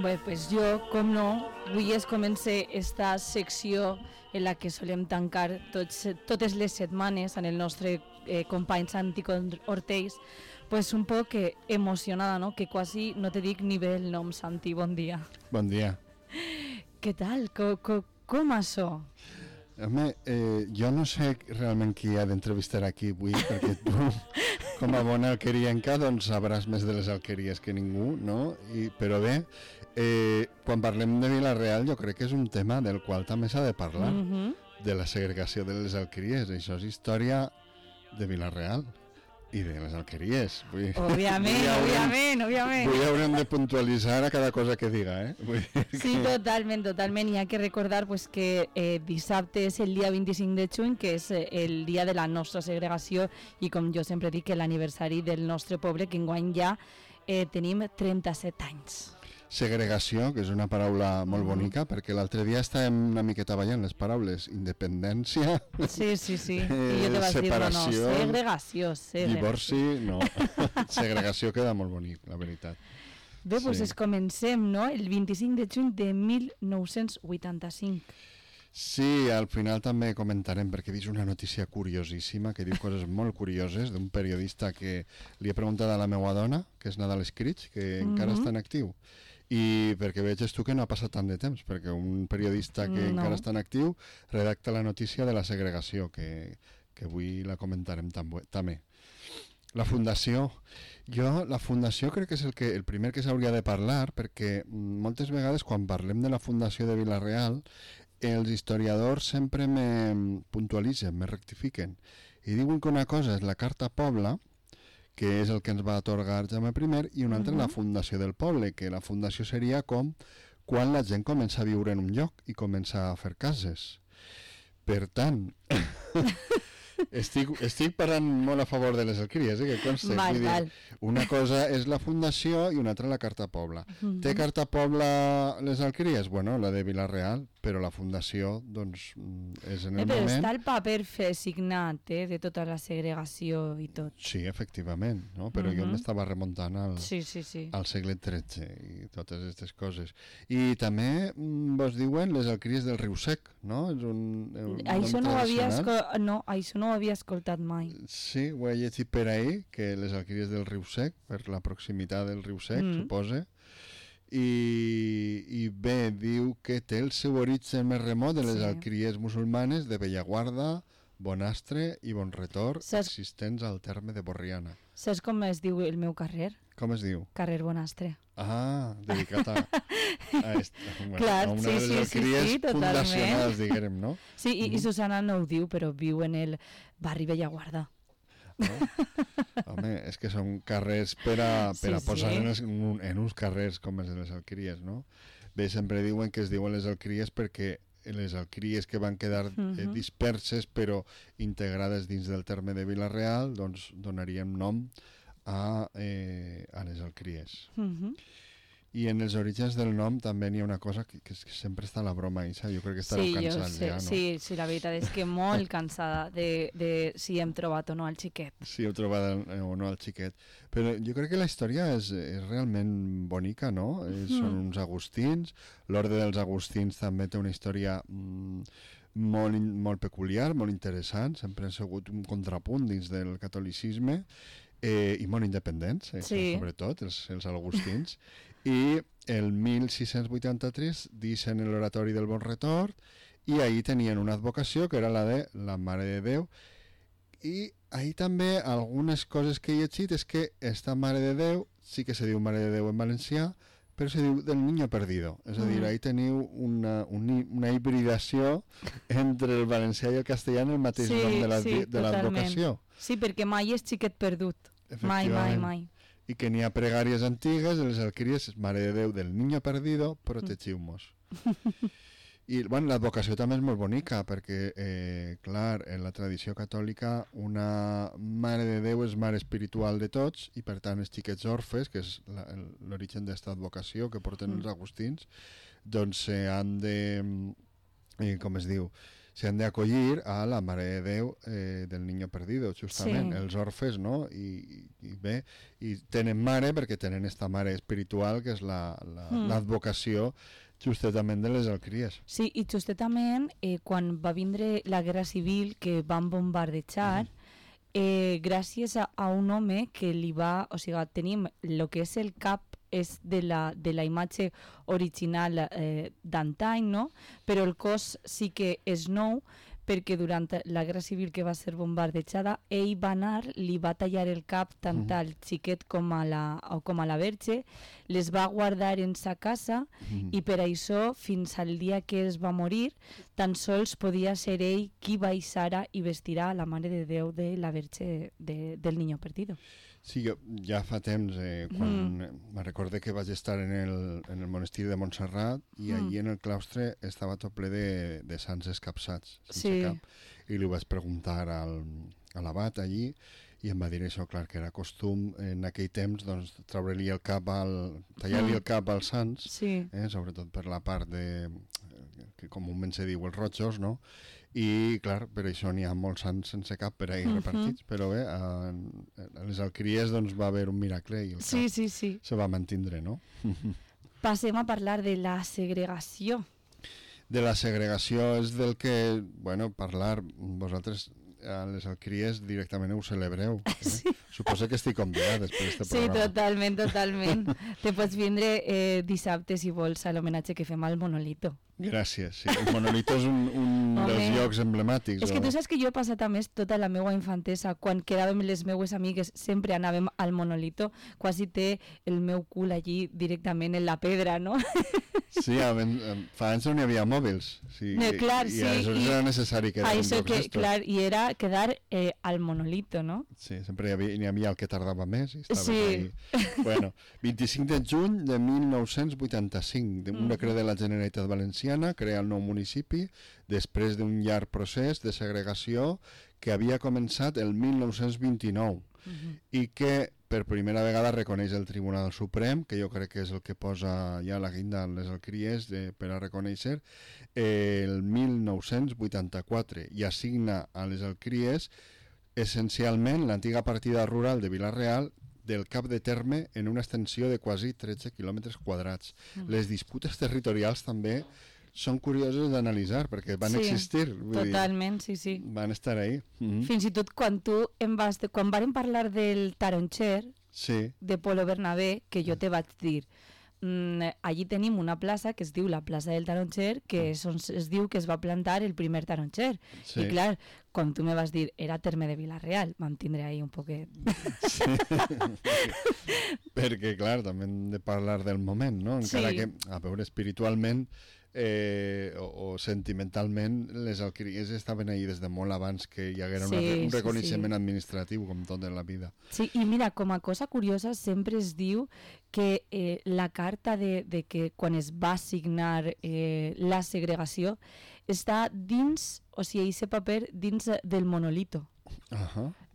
Bé, pues jo, com no, avui es comença esta secció en la que solem tancar totes les setmanes en el nostre company Santi Ortells, pues un poc emocionada, no? Que quasi no te dic ni bé el nom, Santi, bon dia. Bon dia. Què tal? Com això? Home, jo no sé realment qui ha d'entrevistar aquí avui, perquè tu, com a bona alquerienca, doncs sabràs més de les alqueries que ningú, no? Però bé, quan parlem de Vila-real jo crec que és un tema del qual també s'ha de parlar, de la segregació de les alqueries. Això és història de Vila-real i de les alqueries. Òbviament. Avui haurem de puntualitzar a cada cosa que diga, Sí, totalment. Hi ha que recordar pues, que dissabte és el dia 25 de juny, que és el dia de la nostra segregació, i com jo sempre dic, l'aniversari del nostre poble, que enguany ja tenim 37 anys. Segregació, que és una paraula molt bonica, perquè l'altre dia estàvem una miqueta ballant les paraules independència, sí. I jo te vas separació, dir, no, segregació. Divorci, no. Segregació queda molt bonic, la veritat. Bé, doncs comencem, no? El 25 de juny de 1985. Sí, al final també comentarem, perquè he vist una notícia curiosíssima que diu coses molt curioses d'un periodista que li he preguntat a la meva dona, que és Nadal Escrits, que encara està en actiu. I perquè veig tu que no ha passat tant de temps, perquè un periodista que encara està en actiu redacta la notícia de la segregació, que avui la comentarem també. La fundació crec que és el primer que s'hauria de parlar, perquè moltes vegades quan parlem de la fundació de Vila-real els historiadors sempre me puntualitzen, me rectifiquen i diuen que una cosa és la Carta Pobla, que és el que ens va atorgar Jaume I, i una altra la fundació del poble, que la fundació seria com quan la gent comença a viure en un lloc i comença a fer cases. Per tant, estic parlant molt a favor de les alqueries, que conste. Val. Una cosa és la fundació i una altra la Carta Pobla. Té Carta Pobla les alqueries? Bueno, la de Vila-real, però la fundació, doncs, és en el moment... Però està el paper signat, de tota la segregació i tot. Sí, efectivament, no? Però jo m'estava remuntant al segle XIII i totes aquestes coses. I també vos diuen les alqueries del Riu Sec, no? És això no ho havia escoltat mai. Sí, ho he llegit per ahir, que les alqueries del Riu Sec, per la proximitat del Riu Sec, suposa. I bé, diu que té el seu origen més remot de les alqueries musulmanes de Bellaguarda, Bonastre i Bonretor, existents al terme de Borriana. Saps com es diu el meu carrer? Com es diu? Carrer Bonastre. Ah, dedicat a una de les alqueries fundacionals, diguem, no? Sí, i Susana no ho diu, però viu en el barri Bellaguarda. No? Home, és que són carrers per a posar en uns carrers com els de les alqueries, no? Bé, sempre diuen que es diuen les alqueries perquè les alqueries que van quedar disperses però integrades dins del terme de Vila-real, doncs donaríem nom a les alqueries. I en els orígens del nom també n'hi ha una cosa que sempre està a la broma, Isa. Jo crec que estareu cansats ja, no? Sí, la veritat és que molt cansada de si hem trobat o no el xiquet. Si heu trobat o no el xiquet. Però jo crec que la història és realment bonica, no? Són uns agustins. L'Orde dels Agustins també té una història molt peculiar, molt interessant. Sempre han sigut un contrapunt dins del catolicisme i molt independents, sobretot els agustins. I el 1683 deixen l'oratori del Bonretor i ahir tenien una advocació que era la de la Mare de Déu, i ahir també algunes coses que he llegit és que esta Mare de Déu sí que se diu Mare de Déu en valencià, però se diu del Niño Perdido, és a dir, ahir teniu una hibridació entre el valencià i el castellà en el mateix nom de l'advocació. Sí, perquè mai és xiquet perdut, mai. I que n'hi ha pregàries antigues de les alqueries, Mare de Déu del Niño Perdido, protegiu-mos. I bueno, l'advocació també és molt bonica, perquè, clar, en la tradició catòlica una Mare de Déu és mare espiritual de tots, i per tant els xiquets orfes, que és l'origen d'esta advocació que porten els agustins, doncs han de, com es diu, s'han d'acollir a la Mare de Déu del Niño Perdido, justament, els orfes, no? I bé, i tenen mare perquè tenen esta mare espiritual que és l'advocació justament de les alcries. Sí, i justament quan va vindre la Guerra Civil que van bombardejar, gràcies a un home que li va... O sigui, tenim el que és el cap és de la imatge original d'antany, no? Però el cos sí que és nou, perquè durant la Guerra Civil que va ser bombardejada, ell va anar, li va tallar el cap tant al xiquet com a la verge, les va guardar en sa casa i per això, fins al dia que es va morir, tan sols podia ser ell qui baixara i vestirà la Mare de Déu de la verge del Niño Perdido. Sí, jo ja fa temps, quan me recorde que vaig estar en el monestir de Montserrat i allí en el claustre estava tot ple de sants escapçats, sense cap. I li vaig preguntar a l'abat allí i em va dir això, clar, que era costum en aquell temps doncs, treure-li el cap tallar-li el cap als sants, sobretot per la part que comúment se diu els rojos, no? I, clar, per això n'hi ha molts sants sense cap per ahir repartits, però bé, a les alqueries doncs, va haver un miracle i el cap se va mantindre, no? Passem a parlar de la segregació. De la segregació és del que, bueno, parlar, vosaltres a les alqueries directament ho celebreu. Sí. Suposo que estic convidat després d'aquest programa. Sí, totalment. Te pots vindre dissabte, si vols, a l'homenatge que fem al Monolito. Gràcies, sí. El Monolito és un dels llocs emblemàtics. És que tu saps que jo he passat a més tota la meva infantesa, quan quedàvem les meues amigues, sempre anàvem al Monolito, quasi té el meu cul allí directament en la pedra, no? Sí, fa anys no hi havia mòbils. Sí, clar, i aleshores era necessari quedar en llocs d'estos. Clar, i era quedar al Monolito, no? Sí, sempre n'hi havia el que tardava més i estaves ahí. Bueno, 25 de juny de 1985, un decret de la Generalitat Valenciana crea el nou municipi després d'un llarg procés de segregació que havia començat el 1929 i que per primera vegada reconeix el Tribunal Suprem, que jo crec que és el que posa ja la guinda en les alqueries per a reconèixer, el 1984 i assigna a les alqueries essencialment l'antiga partida rural de Vila-real del cap de terme en una extensió de quasi 13 quilòmetres quadrats. Les disputes territorials també són curioses d'analitzar, perquè van existir. Totalment, sí. Van estar ahí. Fins i tot quan quan vàrem parlar del taronxer, de Polo Bernabé, que jo te vaig dir, allí tenim una plaça que es diu la plaça del taronxer, que és on es diu que es va plantar el primer taronxer. I clar, quan tu me vas dir era terme de Vila-real, vam tindre ahí un poquet. Perquè, clar, també hem de parlar del moment, no? Encara que, a veure, espiritualment o sentimentalment les alqueries estaven ahí des de molt abans que hi haguera un reconeixement administratiu com tot en la vida. Sí, i mira, com a cosa curiosa sempre es diu que la carta de que quan es va signar la segregació està dins, o sigui, aquest paper dins del Monolito.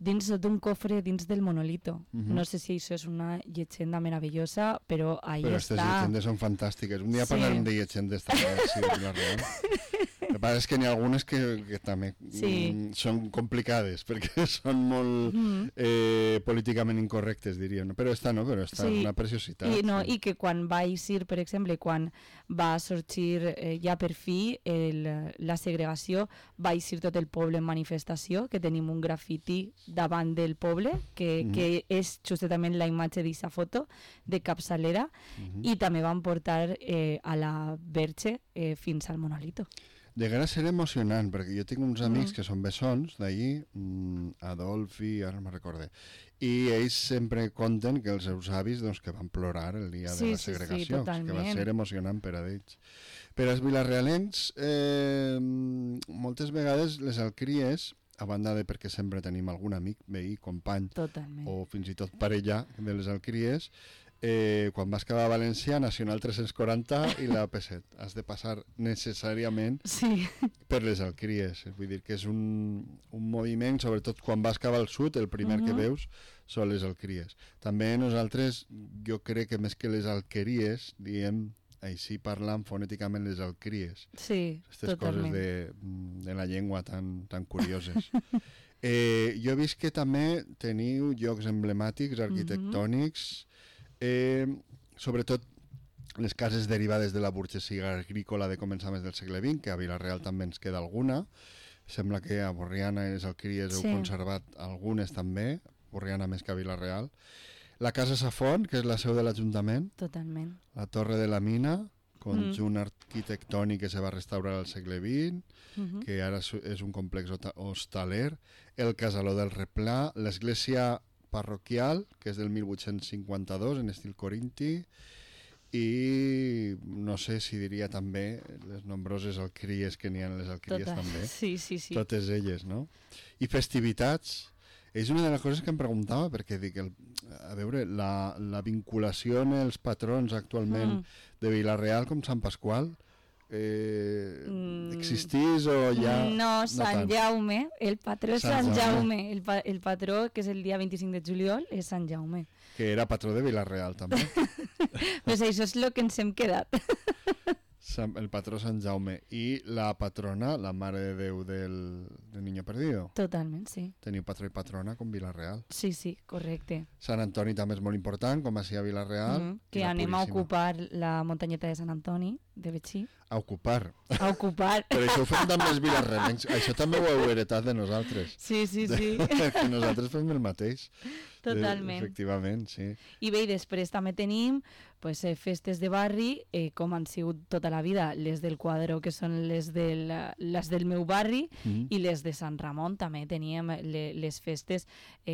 Dins d'un cofre dins del Monolito. No sé si això és una llegenda meravellosa, però ahí està. Però aquestes llegendes són fantàstiques. Un dia parlarem de llegendes també, de la real. El que passa és que n'hi ha algunes que també són complicades, perquè són molt políticament incorrectes, diríem. Però està una preciositat. I que quan va eixir, per exemple, quan va sorgir ja per fi la segregació, va eixir tot el poble en manifestació, que tenim un grafiti davant del poble, que és justament la imatge d'aquesta foto de capçalera, i també van portar a la Verge fins al Monolito. Deguera ser emocionant, perquè jo tinc uns amics que són bessons d'allí, Adolf i ara no me'n recorde, i ells sempre conten que els seus avis que van plorar el dia de la segregació, que va ser emocionant per a ells. Per als vilarealencs, moltes vegades les alqueries, a banda de perquè sempre tenim algun amic, veí, company, o fins i tot parella de les alqueries, quan vas quedar a València, Nacional 340 i la P7. Has de passar necessàriament per les alqueries. Vull dir que és un moviment, sobretot quan vas cap al sud, el primer que veus són les alqueries. També nosaltres, jo crec que més que les alqueries, diem així parlant fonèticament les alcries. Sí, Aquestes totalment. coses de la llengua tan curioses. Jo he vist que també teniu llocs emblemàtics, arquitectònics, sobretot les cases derivades de la burgesia agrícola de començaments del segle XX, que a Vila-real també ens queda alguna. Sembla que a Borriana i les Alqueries heu conservat algunes també, Borriana més que a Vila-real. La Casa Safont, que és la seu de l'Ajuntament. Totalment. La Torre de la Mina, conjunt arquitectònic que se va restaurar al segle XX, que ara és un complex hostaler. El Casaló del Replà, l'església parroquial, que és del 1852, en estil corinti, i no sé si diria també les nombroses alqueries que n'hi ha en les alqueries també. Sí. Totes elles, no? I festivitats. És una de les coses que em preguntava, perquè dic, a veure, la vinculació en els patrons actualment de Vila-real com Sant Pasqual, existís o ja... No, Sant Jaume, el patró és Sant Jaume, el patró que és el dia 25 de juliol és Sant Jaume. Que era patró de Vila-real també. Pues això és el que ens hem quedat. El patró Sant Jaume. I la patrona, la Mare de Déu del Niño Perdido. Totalment, sí. Teniu patró i patrona com Vila-real. Sí, correcte. Sant Antoni també és molt important, com així a Vila-real. Que anem a ocupar la muntanyeta de Sant Antoni, de Betxí. A ocupar. A ocupar. Però això ho fem també els vilarremencs. Això també ho heu heretat de nosaltres. Sí. Que nosaltres fem el mateix. Totalment. Efectivament, sí. I bé, i després també tenim pues, festes de barri, com han sigut tota la vida, les del Quadro, que són les del meu barri, i les de Sant Ramon també teníem les festes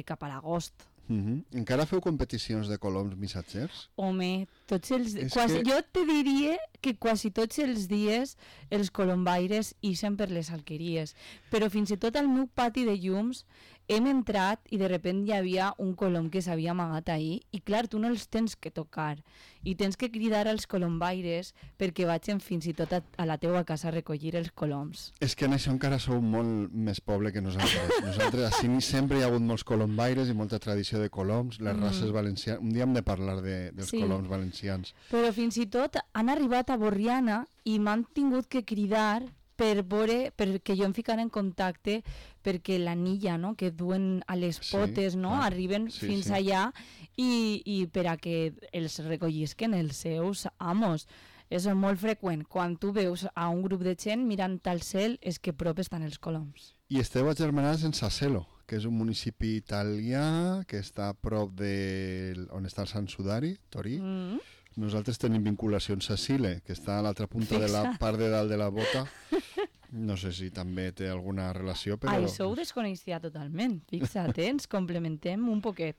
cap a l'agost. Encara feu competicions de coloms missatgers? Home, jo te diria que quasi tots els dies els colombaires ixen per les alqueries, però fins i tot al meu pati de llums hem entrat i de repent hi havia un colom que s'havia amagat ahir i clar, tu no els tens que tocar i tens que cridar als colombaires perquè vagin fins i tot a la teua casa a recollir els coloms. És que en això encara sou molt més poble que nosaltres. Nosaltres, així sempre hi ha hagut molts colombaires i molta tradició de coloms, les races valencianes. Un dia hem de parlar dels coloms valencians. Però fins i tot han arribat a Borriana i m'han tingut que cridar perquè jo em ficara en contacte perquè l'anilla, no?, que duen a les potes, no?, arriben fins allà i per a que els recollisquen els seus amos. És molt freqüent. Quan tu veus a un grup de gent mirant al cel és que prop estan els coloms. I esteu agermanats en Saselo, que és un municipi italià que està a prop on està el Sant Sudari, Torí. Nosaltres tenim vinculació amb Sacile, que està a l'altra punta de la part de dalt de la bota. No sé si també té alguna relació, però... Això ho desconeixia totalment. Fixa't, ens complementem un poquet.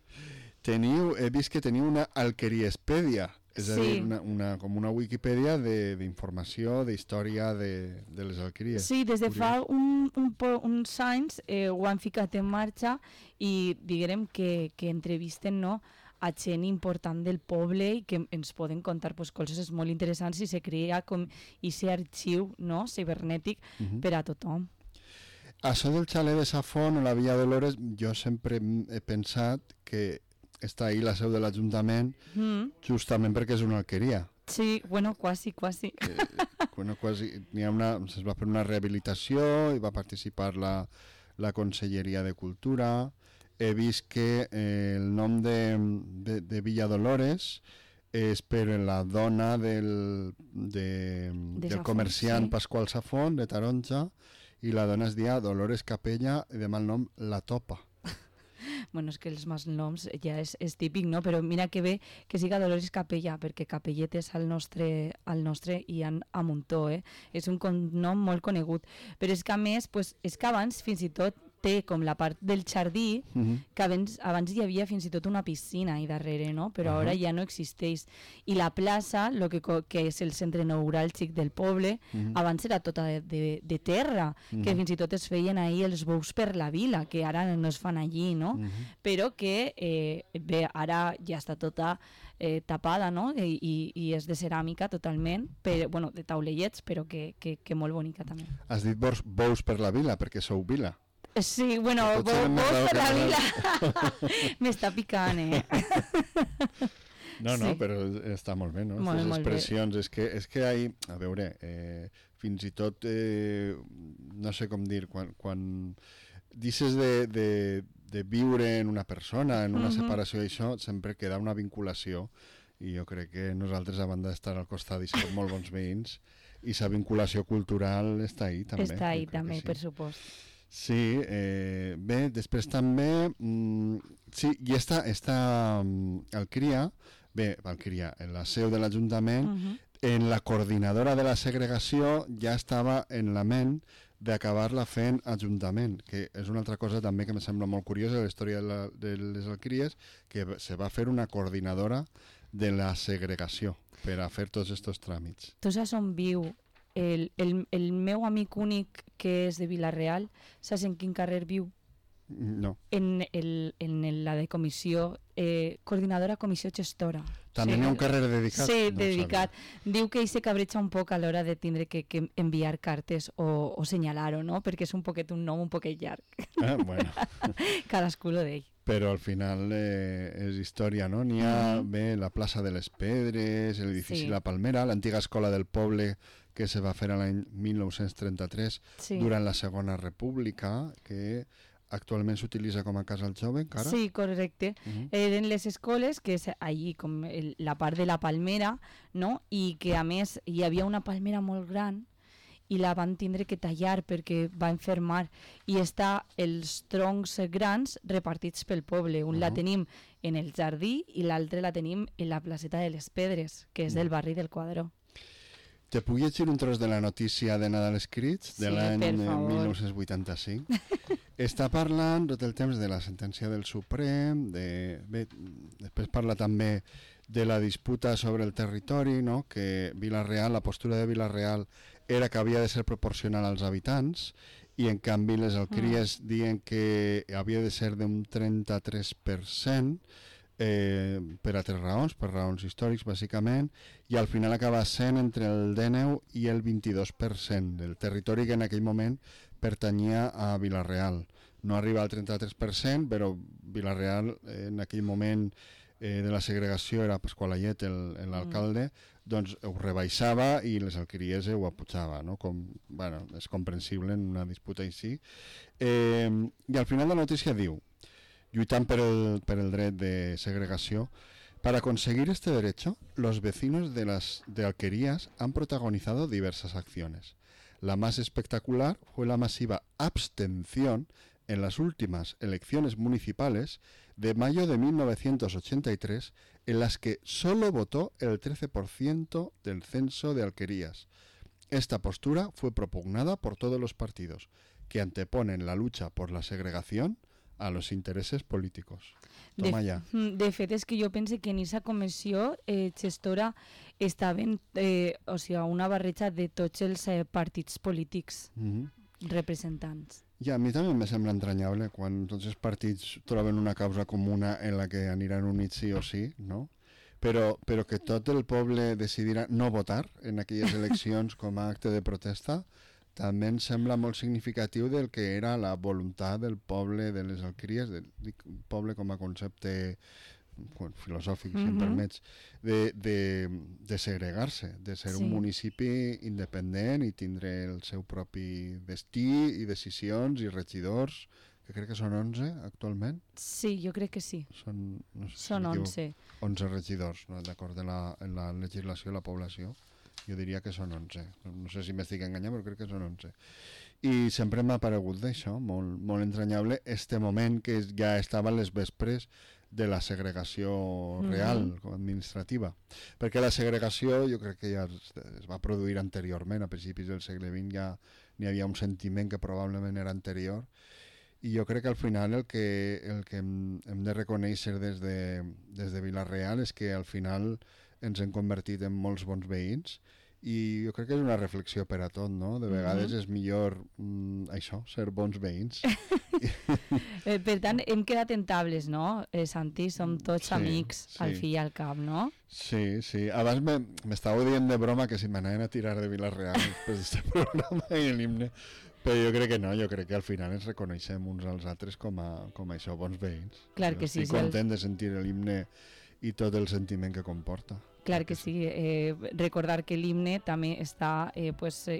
He vist que teniu una alqueriespèdia, és a dir, com una Wikipedia d'informació, d'història de les alqueries. Sí, des de fa uns anys ho han ficat en marxa i diguem que entrevisten, no?, a gent important del poble i que ens poden contar coses molt interessants i se crea com aquest arxiu, no?, cibernètic per a tothom. Això del xalet de Safont o la Villa Dolores, jo sempre he pensat que està ahí la seu de l'Ajuntament justament perquè és una alqueria. Sí, bueno, quasi. Quasi. Es va fer una rehabilitació i va participar la Conselleria de Cultura. He vist que el nom de Villa Dolores és per la dona del comerciant Pasqual Safont, de Taronja, i la dona es deia Dolores Capella, i de mal nom La Topa. Bueno, és que els malnoms ja és típic, no? Però mira que bé que siga Dolores Capella, perquè capelletes al nostre hi ha a muntó, eh? És un nom molt conegut. Però és que a més, és que abans fins i tot té com la part del jardí, que abans hi havia fins i tot una piscina ahí darrere, no? Però ara ja no existeix. I la plaça, que és el centre neuràlgic del poble, abans era tota de terra, que fins i tot es feien ahí els bous per la vila, que ara no es fan allí, no? Però que bé, ara ja està tota tapada, no? I és de ceràmica totalment, bueno, de taulellets, però que molt bonica també. Has dit bous per la vila, perquè sou vila. Sí, bueno, vos per la vila. M'està picant, No, Sí. però està molt bé, no? Molt, Aquestes molt bé. expressions, és que hi ha, a veure, fins i tot, no sé com dir, quan deixes de viure en una persona, en una separació, això sempre queda una vinculació, i jo crec que nosaltres, a banda d'estar al costat i ser molt bons veïns, i sa vinculació cultural està ahí també. Està ahí jo crec que també, sí. per supost. Sí, bé, després també, sí, i està Alcria, bé, Alcria, en la seu de l'Ajuntament, en la coordinadora de la segregació ja estava en la ment d'acabar-la fent Ajuntament, que és una altra cosa també que em sembla molt curiosa de la història de les Alcries, que se va fer una coordinadora de la segregació per a fer tots aquests tràmits. Tu saps on viu el meu amic únic que és de Vila-real? Saps en quin carrer viu? No. En la de comissió, coordinadora comissió gestora. També sí, hi ha un carrer dedicat? Sí, no dedicat. Diu que ell se cabreja un poc a l'hora de tindre que enviar cartes o senyalar-ho, no? Perquè és un poquet un nom un poquet llarg. Ah, bueno. Cadascú lo d'ell. Però al final és història, no? N'hi ha bé la plaça de les Pedres, l'edifici Sí. La Palmera, l'antiga escola del poble que se va fer a l'any 1933 durant la Segona República, que actualment s'utilitza com a casa al jove encara. Sí, correcte. Eren les escoles, que és allí com la part de la palmera, no? I que a més hi havia una palmera molt gran i la van tindre que tallar perquè va enfermar, i està els troncs grans repartits pel poble. Un la tenim en el jardí i l'altre la tenim en la placeta de les Pedres, que és del barri del Quadró. Te puc llegir un tros de la notícia de Nadal Escrits de l'any 1985? Està parlant tot el temps de la sentència del Suprem, bé, després parla també de la disputa sobre el territori, no? Que Vila-real, la postura de Vila-real era que havia de ser proporcional als habitants, i en canvi les Alcries diuen que havia de ser d'un 33%, per altres raons, per raons històrics bàsicament, i al final acaba sent entre el 19 i el 22% del territori que en aquell moment pertanyia a Vila-real. No arriba al 33%, però Vila-real en aquell moment de la segregació era Pasqual Ayet l'alcalde, doncs ho rebaixava i les Alqueries ho apujava, no? Bueno, és comprensible en una disputa així. I al final la notícia diu: lluitant per el dret de segregació. Para conseguir este derecho, los vecinos de Alquerías han protagonizado diversas acciones. La más espectacular fue la masiva abstención en las últimas elecciones municipales de mayo de 1983, en las que solo votó el 13% del censo de Alquerías. Esta postura fue propugnada por todos los partidos, que anteponen la lucha por la segregación a los intereses políticos. Toma ja. De fet, és que jo penso que en aquesta comissió gestora estaven una barreja de tots els partits polítics representants. I a mi també em sembla entranyable quan tots els partits troben una causa comuna en la que aniran units sí o sí, no? Però que tot el poble decidirà no votar en aquelles eleccions com a acte de protesta també em sembla molt significatiu del que era la voluntat del poble de les Alqueries, del poble com a concepte filosòfic, si em permets, de segregar-se, de ser un municipi independent i tindre el seu propi destí i decisions i regidors, que crec que són 11 actualment. Sí, jo crec que sí. Són 11. 11 regidors, no? D'acord en la legislació de la població. Jo diria que són 11. No sé si m'estic enganyant, però crec que són 11. I sempre m'ha paregut d'això, molt entranyable, este moment que ja estava a les vespres de la segregació real, administrativa. Perquè la segregació jo crec que ja es va produir anteriorment, a principis del segle XX ja n'hi havia un sentiment que probablement era anterior, i jo crec que al final el que hem de reconèixer des de Vila-real és que al final ens hem convertit en molts bons veïns, i jo crec que és una reflexió per a tot, no? De vegades és millor això, ser bons veïns. Per tant, hem quedat en tables, no, Santi? Som tots amics, al fi i al cap, no? Sí, sí. Abans m'estàveu dient de broma que si m'anaven a tirar de Vila-real després d'aquest programa i l'himne, però jo crec que no, jo crec que al final ens reconeixem uns als altres com a això, bons veïns. Clar que sí. Estic content de sentir l'himne i tot el sentiment que comporta. Clar que sí, recordar que l'himne també està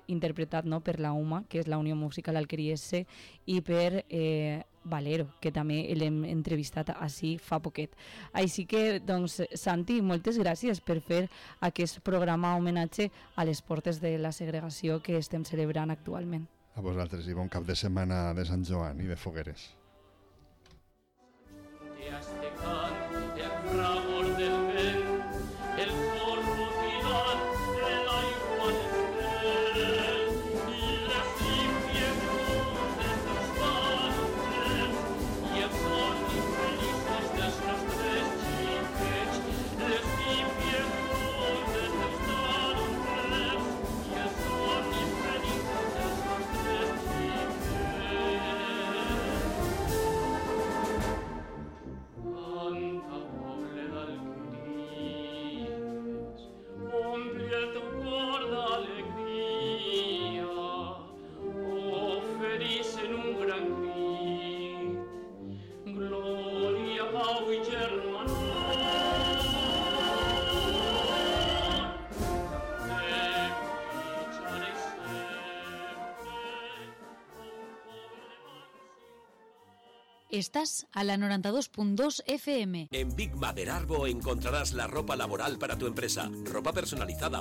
interpretat, no, per la UMA, que és la Unió Musical Alqueriense, i per Valero, que també l'hem entrevistat així fa poquet. Així que, doncs, Santi, moltes gràcies per fer aquest programa homenatge a les portes de la segregació que estem celebrant actualment. A vosaltres i bon cap de setmana de Sant Joan i de fogueres. Estás a la 92.2 FM. En Big Mother Arbo encontrarás la ropa laboral para tu empresa. Ropa personalizada,